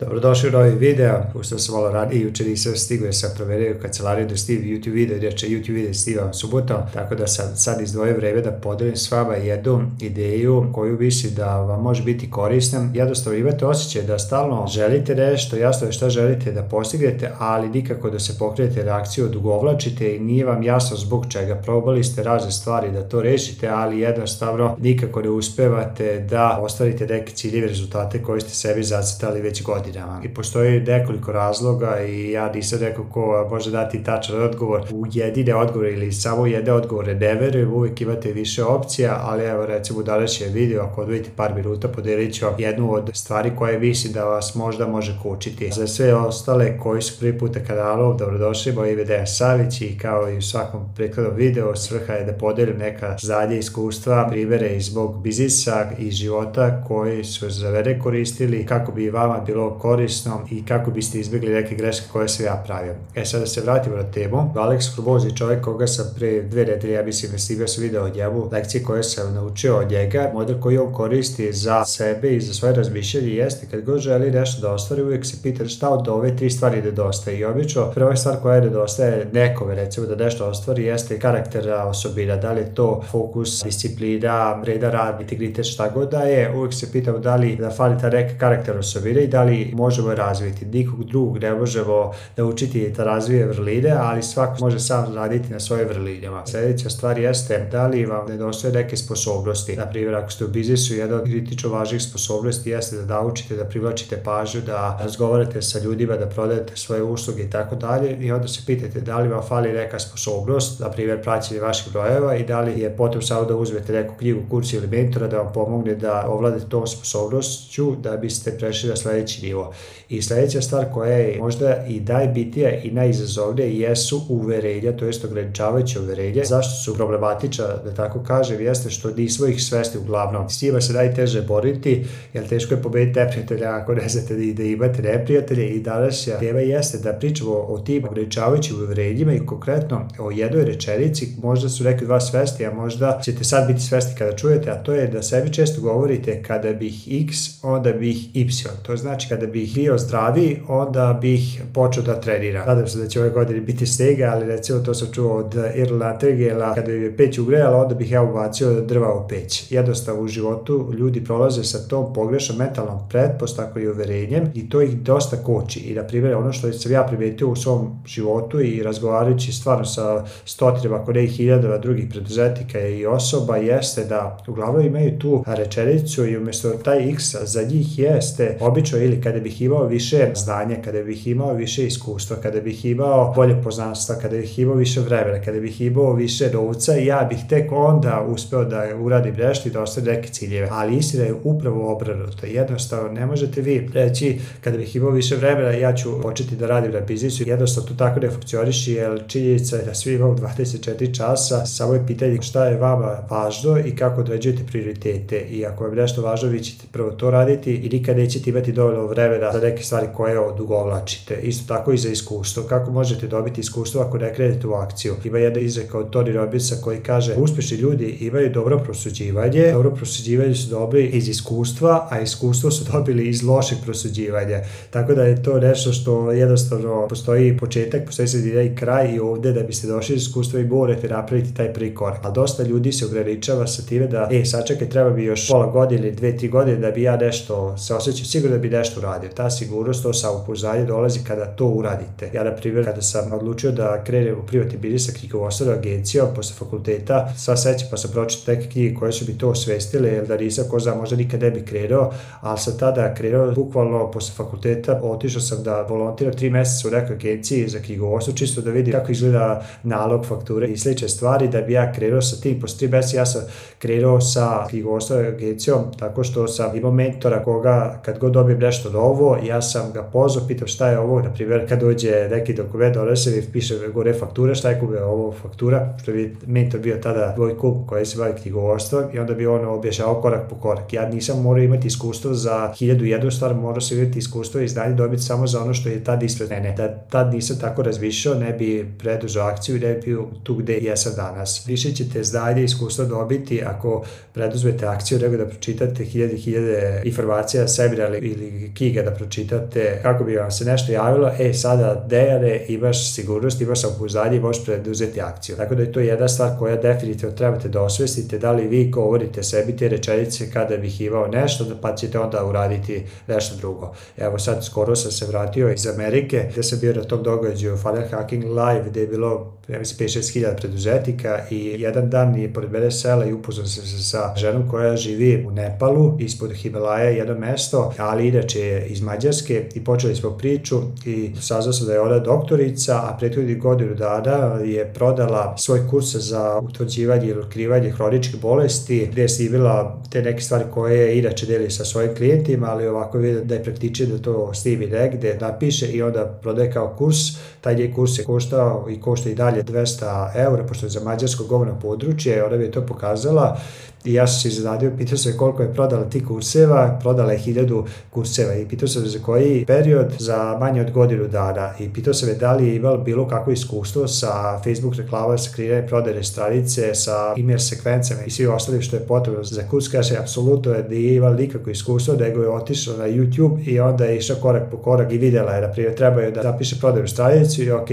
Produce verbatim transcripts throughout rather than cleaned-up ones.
Dobrodošli u novi video, pošto sam malo ranije, jučer nisam stigao, sam proverio u kancelariju da stigam YouTube video, inače YouTube video stigam subotom, tako da sam sad izdvojio vreme da podelim s vama jednu ideju koju mislim da vam može biti korisna. Jednostavno imate osjećaj da stalno želite nešto, jasno je šta želite da postignete, ali nikako da se pokrenete reakciju, odugovlačite i nije vam jasno zbog čega. Probali ste razne stvari da to rešite, ali jednostavno nikako ne uspevate da ostvarite neke ciljeve, rezultate koje ste sebi zacrtali već godinama. I postoji nekoliko razloga i ja nisam neko ko može dati tačan odgovor u jedine odgovore ili samo jedne odgovore, ne verujem, uvijek imate više opcija, ali evo recimo u današnjem video, ako odvojite par minuta, podelit ću jednu od stvari koje mislim da vas možda može kočiti. Za sve ostale koji su prvi put na kanalu, dobrodošli, moje ime je Dejan Savić i kao i u svakom prethodnom videu, svrha je da podelim neka znanja, iskustva, primere iz mog biznisa i života koji su za mene koristili kako bi vama bilo korisno i kako biste izbjegli neke greške koje sam ja pravio. E sad da se vratimo na temu. Alex Hormozi, čovjek koga sam pre dve nedelje, ja mislim, snimio sam video od njemu, lekcije koje sam naučio od njega, model koji on koristi za sebe i za svoje razmišljanje jeste kad god želi nešto da ostvari, uvijek se pita šta od ove tri stvari nedostaje. I obično prva stvar koja nedostaje nekome, recimo da nešto ostvari, jeste karaktera, osobina, da li je to fokus, disciplina, vredan rad, integritet, šta god da je, uvijek se pitamo da li da fali ta neka karakter, osobina i da li možemo je razviti. Nikog drugog ne možemo naučiti da razvije vrline, ali svako može sam raditi na svoje vrlinama. Sljedeća stvar jeste da li vam nedostaje neke sposobnosti. Na primjer, ako ste u biznisu, jedna od kritično važnih sposobnosti jeste da naučite da privlačite pažnju, da razgovarate sa ljudima, da prodajete svoje usluge i tako dalje. I onda se pitate da li vam fali neka sposobnost, na primjer praćenje vaših brojeva, i da li je potrebno samo da uzmete neku knjigu, kurs ili mentora da vam pomogne da ovladate tom sposobnošću da biste prešli na sljedeći nivo. I sljedeća stvar koja je možda i najbitnija i najizazovnija jesu uverenja, to jest ograničavajuće uverenja. Zašto su problematična, da tako kažem, jeste što nismo ih svesni uglavnom. S njima se najteže boriti, jer teško je pobediti neprijatelja ako ne znate da imate neprijatelje. I današnja tema jeste da pričamo o tim ograničavajućim uverenjima i konkretno o jednoj rečenici. Možda su neki od vas svesni, a možda ćete sad biti svesni kada čujete, a to je da sebi često govorite kada bih X, onda bih Y. To znači kada bih bio zdraviji, onda bih počeo da treniram. Nadam se da će ove godine biti snega, ali recimo to sam čuo od Irla Tegela, kada bi je peć ugrejala, onda bih ja ubacio drva u peć. Jednostavno u životu ljudi prolaze sa tom pogrešnom mentalnom pretpostavkom i uverenjem i to ih dosta koči. I na primjer, ono što sam ja primetio u svom životu i razgovarajući stvarno sa stotinama, ako ne i hiljadama drugih preduzetnika i osoba, jeste da uglavnom imaju tu rečenicu i umjesto taj X za njih jeste obično ili kada bih imao više znanja, kada bih imao više iskustva, kada bih imao bolje poznanstva, kada bih imao više vremena, kada bih imao više novca, ja bih tek onda uspeo da uradim nešto i da ostane neke ciljeve. Ali istina je upravo obrnuto. Jednostavno ne možete vi reći kada bih imao više vremena ja ću početi da radim na biznisu. Jednostavno to tako ne funkcioniše, jer činjenica je da svi imamo dvadeset četiri časa, samo je pitanje šta je vama važno i kako određujete prioritete. I ako vam nešto važno, vi ćete prvo to raditi i nikad nećete imati dovoljno vremena za neke stvari koje odugovlačite. Isto tako i za iskustvo. Kako možete dobiti iskustvo ako ne krenete u akciju? Ima jedna izreka od Tony Robbinsa koji kaže uspješni ljudi imaju dobro prosuđivanje, dobro prosuđivanje su dobili iz iskustva, a iskustvo su dobili iz lošeg prosuđivanja. Tako da je to nešto što jednostavno postoji početak, postoji sredina i kraj i ovdje da biste došli iz iskustva i morate napraviti taj prvi korak. Ali dosta ljudi se ograničava sa time da e, sačekaj, treba bi još pola godine ili dve, tri godine da bi ja nešto se osjećao sigurno da bi nešto uradio. Ta sigurnost, to samopouzdanje dolazi kada to uradite. Ja, na primjer, kada sam odlučio da krenem u privatni biznis sa knjigovodstvenom agencijom posle fakulteta, sva sreća pa sam pročitao neke knjige koje su mi to osvestile, jer da nisam, ko zna, možda nikad ne bi krenuo, ali sam tada krenuo, bukvalno posle fakulteta, otišao sam da volontiram tri mjeseca u nekoj agenciji za knjigovodstvo, čisto da vidim kako izgleda nalog, fakture i slične stvari, da bi ja krenuo sa tim. Posle tri mjeseca ja sam krenuo sa knjigovodstvenom agencijom tako što sam imao mentora koga kad god dobijem nešto novo, ja sam ga pozvao, pitao šta je ovo, na primjer kad dođe neki dokument, donese mi, piše gore faktura, šta je kube ovo faktura, što bi mentor bio tada tvoj kum koji se bavi knjigovodstvom i onda bi on objašnjavao korak po korak. Ja nisam morao imati iskustvo za hiljadu jednu stvar, morao sam imati iskustvo i znanje dobiti samo za ono što je tad ispred mene. Da tad nisam tako razmišljao, ne bi preduzeo akciju i ne bi bio tu gde jesam danas. Više ćete znanje i iskustvo dobiti ako preduzmete akciju nego da pročitate hiljade hiljade informacija, seminara ili knjiga da pročitate, kako bi vam se nešto javilo, e sada Dejane, imaš sigurnost, imaš samopouzdanje i možeš preduzeti akciju. Tako da je to jedna stvar koja definitivno trebate da osvestite, da li vi govorite sebi te rečenice kada bih imao nešto, pa ćete onda uraditi nešto drugo. Evo sad skoro sam se vratio iz Amerike, gde sam bio na tom događaju Funnel Hacking Live, gde je bilo ja mislim pet šest hiljada preduzetnika i jedan dan je pored mene sela i upoznao sam se sa ženom koja živi u Nepalu, ispod Himalaja, jedno mesto, ali inače je iz Mađarske i počeli smo priču i saznao sam da je ona doktorica, a prethodnih godinu dana je prodala svoj kurs za utvrđivanje ili otkrivanje hroničkih bolesti, gde je snimila te neke stvari koje je inače deli sa svojim klijentima, ali ovako vidim da je praktičan da to snimi negde, napiše i onda prodaje kao kurs. Taj njen kurs je koštao i košta i dalje dvesta eura, pošto je za mađarsko govorno područje, ona mi je to pokazala i ja sam se iznenadio, pitao sam koliko je prodala ti kurseva, prodala je hiljadu kurseva i pitao sam za koji period, za manje od godinu dana i pitao sam je da li je imala bilo kakvo iskustvo sa Facebook reklama, sa kreiranjem prodajne stranice, sa email sekvencama i svi ostalim što je potrebno za kurs. Kaže, apsolutno je nije imala nikakvo iskustvo, nego je otišla na YouTube i onda je išla korak po korak i vidjela je, naprimjer, treba je da zapiše prodajnu stranicu i ok,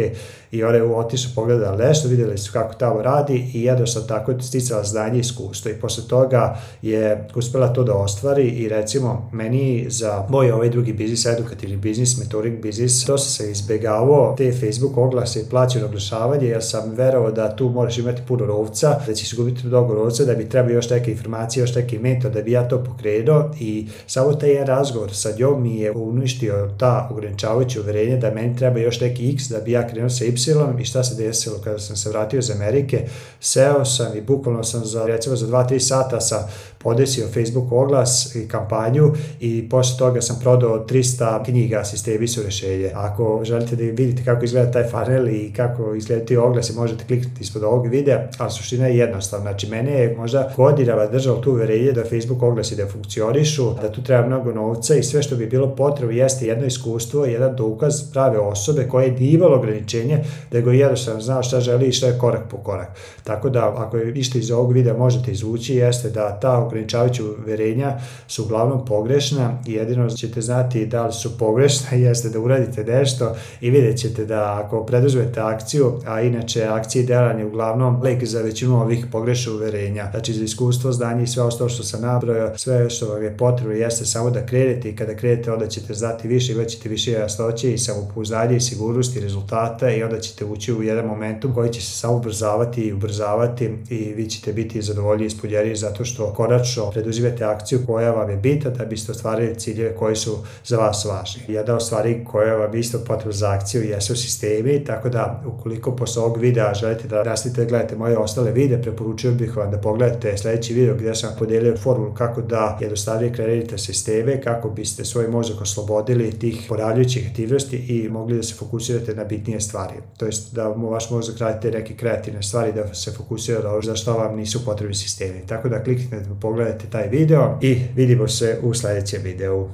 i ona je otišla pogledala nešto, vidjeli su kako tamo radi i jednostavno tako sticala znanje i iskustvo i posle toga je uspela to da ostvari i recimo meni za moj ovaj drugi biznis, edukativni biznis, mentoring biznis, dosta sam izbegavao te Facebook oglase i plaćeno oglašavanje jer sam verovao da tu moraš imati puno novca, da ćeš gubiti mnogo novca, da bi trebao još neke informacije, još neki mentor da bi ja to pokrenuo i samo taj jedan razgovor sa njom mi je uništio ta ograničavajuća uverenja da meni treba još neki X da bi ja krenuo sa Y i šta se desilo kada sam se vratio iz Amerike, seo sam i bukvalno sam za recimo za dva tri sata sam podesio Facebook oglas i kampanju i posle toga sam prodao trista knjiga Sistemi su rešenje. Ako želite da vidite kako izgleda taj funnel i kako izgleda ti oglasi, možete kliknuti ispod ovog videa, ali suština je jednostavna. Znači, mene je možda godinama držao tu uverenje da Facebook oglasi da funkcionišu, da tu treba mnogo novca i sve što bi bilo potrebno jeste jedno iskustvo, jedan dokaz prave osobe koje nije imalo ograničenje, nego jednostavno znao šta želi i šta je korak po korak. Tako da, ako je ništa iz ovog videa možete izvući, jeste da ta ograničavajuća uverenja su uglavnom pogrešna i jedino ćete znati da li su pogrešna jeste da uradite nešto i vidjet ćete da ako preduzmete akciju, a inače akcije i delan je uglavnom lek za većinu ovih pogrešnih uverenja. Znači za iskustvo, znanje i sve ostalo što sam nabrojao, sve što vam je potrebno jeste samo da krenete i kada krenete onda ćete znati više, imat ćete više jasnoće i samopouzdanje i sigurnosti rezultata i onda ćete ući u jedan momentum koji će se samo ubrzavati i ubrzavati i vi ćete biti zadovoljni i ispunjeni zato što konačno preduzimate akciju koja vam je bitna da biste ostvarili ciljeve koji su za vas važni. Jedna od stvari koja vam isto potrebna za akciju jesu sistemi, tako da ukoliko posle ovog videa želite da nastavite da gledate moje ostale videe, preporučio bih vam da pogledate sledeći video gdje sam podelio formulu kako da jednostavnije kreirate sisteme, kako biste svoj mozak oslobodili tih ponavljajućih aktivnosti i mogli da se fokusirate na bitnije stvari. To jest da vaš mozak radite neke kreativne stvari, da se fokusira na ono za što vam nisu potrebni sistemi. Tako da kliknite da pogledate taj video i vidimo se u sledećem videu.